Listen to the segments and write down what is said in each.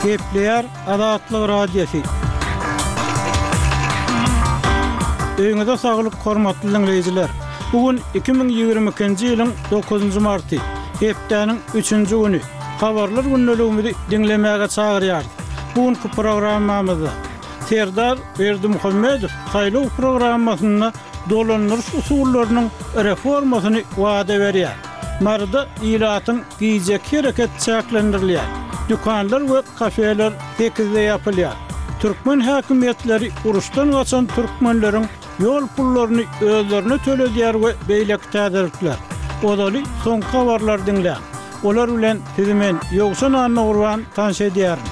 Gepleýär Azatlyk Radiosy. Öýüňize saglyk hormatly diňleýjiler! Bu gün 2022-nji ýylyň dokuzynjy marty, hepdäniň üçünji güni. Habarlar gündeligimizi diňlemäge çagyrýarys. Bu günki programmamyzda Serdar Berdimuhamedow saýlaw programmasynda dolandyryş usullarynyň reformasyny wada berýär. Maryda ilatyň gijeki hereket çäklendirilýär. Dükanlar we kafeler sekizde ýapylýar. Türkmen häkimiýetleri uruşdan gaçan türkmenleriň ýol pullaryny özlerine töledýär we beýleki täzelikler. Ozaly soňky habarlary diňläň. Olar bilen sizi men, Ýowşan Annagurban tanyş edýärin.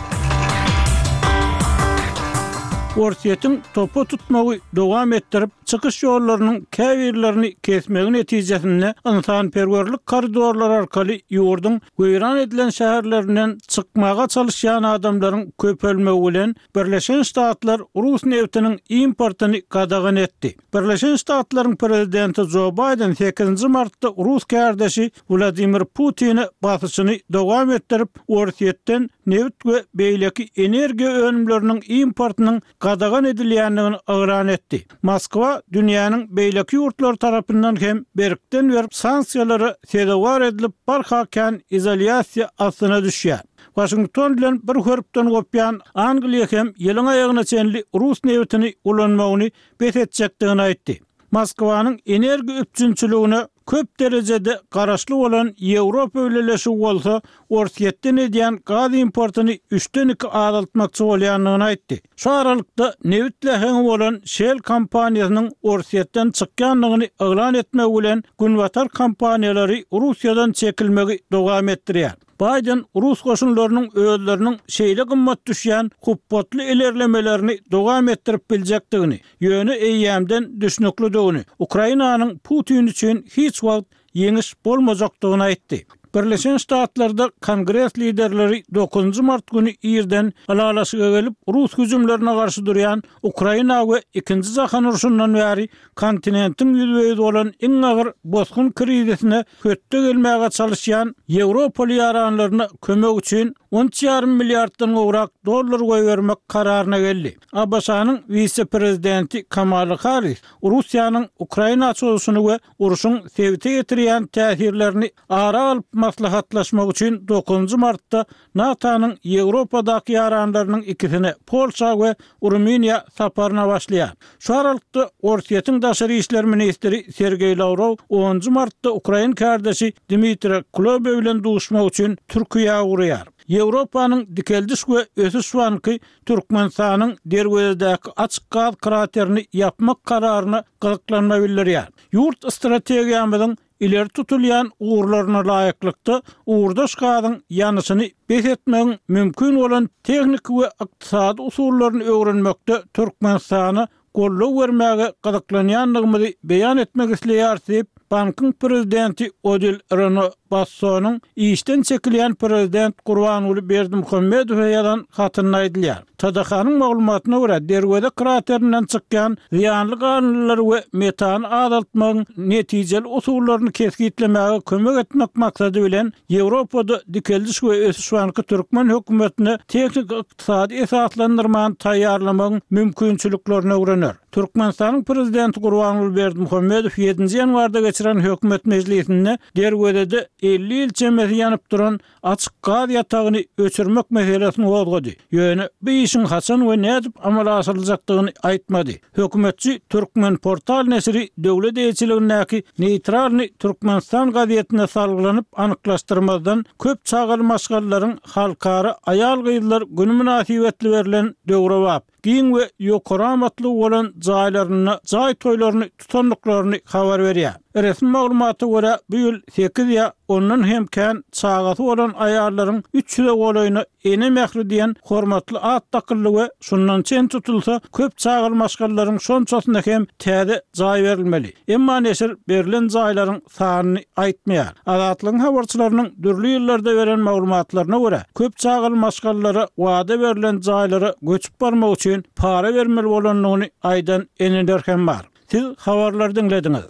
Orsýetiň topa tutmagy dowam etdirip, çykyş ýollarynyň käbirlerini kesmegi netijesinde ynsanperwerlik koridorlary arkaly ýurduň weýran edilen şäherlerinden çykmaga çalyşýan adamlaryň köpelmegi bilen Birleşen Ştatlar rus nebtiniň importyny gadagan etdi. Birleşen Ştatlaryň prezidenti Jo Baýden sekizinji martda rus kärdeşi Wladimir Putine basyşyny dowam etdirip, Orsýetden nebit we beýleki energiýa önümleriniň importynyň gadagan edilýändigini yglan etdi. Moskwa dünýäniň beýleki ýurtlary tarapyndan hem berkden-berk sanksiýalara sezewar edilip, barha kän izolýasiýa astyna düşýär. Waşington bilen bir hörpden gopýan Angliýa hem ýylyň aýagyna çenli rus nebitini ulanmagyny bes etjekdigini aýtdy. Moskwanyň energiýa üpjünçiligine köp derejede garaşly bolan Ýewropa Bileleşigi bolsa Orsýetden edýän gaz importyny üçden iki azaltmakçy bolýandygyny aýtdy. Şu aralykda, nebit läheňi bolan Shell kompaniýasynyň Orsýetden çykýandygyny yglan etmegi bilen günbatar kompaniýalary Russiýadan çekilmegi dowam etdirýär. Baýden rus goşunlarynyň özleriniň şeýle gymmat düşýän hupbatly ilerlemelerini dowam etdirip biljekdigini, ýöne eýýämden düşnüklidigini, Ukrainanyň Putin üçin hiç wagt ýeňiş bolmajakdygyny aýtdy. Birleşen Ştatlarda Kongres liderleri dokuzynjy mart güni irden ylalaşyga gelip, rus hüjümlerine garşy durýan Ukraina we Ikinji jahan urşundan bäri kontinentiň ýüzbe-ýüz bolan iň agyr bosgun krizisine hötde gelmäge çalyşýan ýewropaly ýaranlaryna kömek üçin on üç ýarym milliarddan gowrak dollar goýbermek kararyna geldi. ABŞ-nyň wise-prezidenti Kamala Harris Russiýanyň Ukraina çozuşyny we urşuň sebite ýetirýän täsirlerini ara alyp maslahatlaşmak üçin dokuzynjy martda NATO-nyň Ýewropadaky ýaranlarynyň ikisine, Polşa we Rumyniýa saparyna başlaýar. Şu aralykda, Orsýetiň daşary işler ministri Sergeý Lawrow onunjy martda ukrain kärdeşi Dmitriý Kuleba bilen duşmak üçin Türkiýä ugraýar. Ýewropanyň Dikeldiş we ösüş banky Türkmenistanyň Derwezedäki açyk gaz kraterini ýapmak kararyna gyzyklanma bildirýär. Ýurt strategiýamyzyň Ileri tutulýan ugurlaryna laýyklykda, ugurdaş gazyň ýanyşyny bes etmegiň mümkin bolan tehniki we ykdysady usullaryny öwrenmekde Türkmenistana goldaw bermäge gyzyklanýandygymyzy beýan etmek isleýäris diýip, bankyň prezidenti Odil Reno Bassonyň işden çekilýän prezident Gurbanguly Berdimuhamedowa ýazan hatynda aýdylýar. TDH-nyň maglumatyna görä, Derweze kraterinden çykýan zyýanly galyndylary we metany azaltmagyň netijeli usullaryny kesgitlemäge kömek etmek maksady bilen, Ýewropada Dikeldiş we ösüş banky türkmen hökümetine tehniki-ykdysady esaslandyrmany taýýarlamagyň mümkinçiliklerini öwrener. Türkmenistanyň Prezidenti Gurbanguly Berdimuhamedow ýedinji ýanwarda geçiren hökümet mejlisinde Derwezede 50 ýyl çemesi ýanyp duran açyk gaz ýatagyny öçürmek meselesini gozgady, ýöne bu işiň haçan we nädip amala aşyryljakdygyny aýtmady. Hökümetçi Turkmenportal neşiri döwlet eýeçiligindäki Neýtralnyý Türkmenistan gazetine salgylanyp anyklaşdyrmazdan köp çagaly maşgalalaryň Halkara aýal-gyzlar güni mynasybetli berlen döwrebap, giň we ýokary amatlygy bolan jaýlarynda jaý toýlaryny tutandyklaryny habar berýär. Resmi maglumata görä, bu ýyl sekiz ýa ondan hem kän çagasy bolan aýallaryň üç ýüze golaýyna Ene mähri diýen hormatly at dakyldy we şundan çen tutulsa, köp çagaly maşgalalaryň şonçasyna hem täze jaý berilmeli. Emma neşir berlen jaýlaryň sanyny aýtmaýar. Azatlygyň habarçylarynyň dürli ýyllarda beren maglumatlaryna görä, köp çagaly maşgalalara wada berlen jaýlara göçüp barmak üçin para bermeli bolandygyny aýdan eneler hem bar. Siz habarlary diňlediňiz.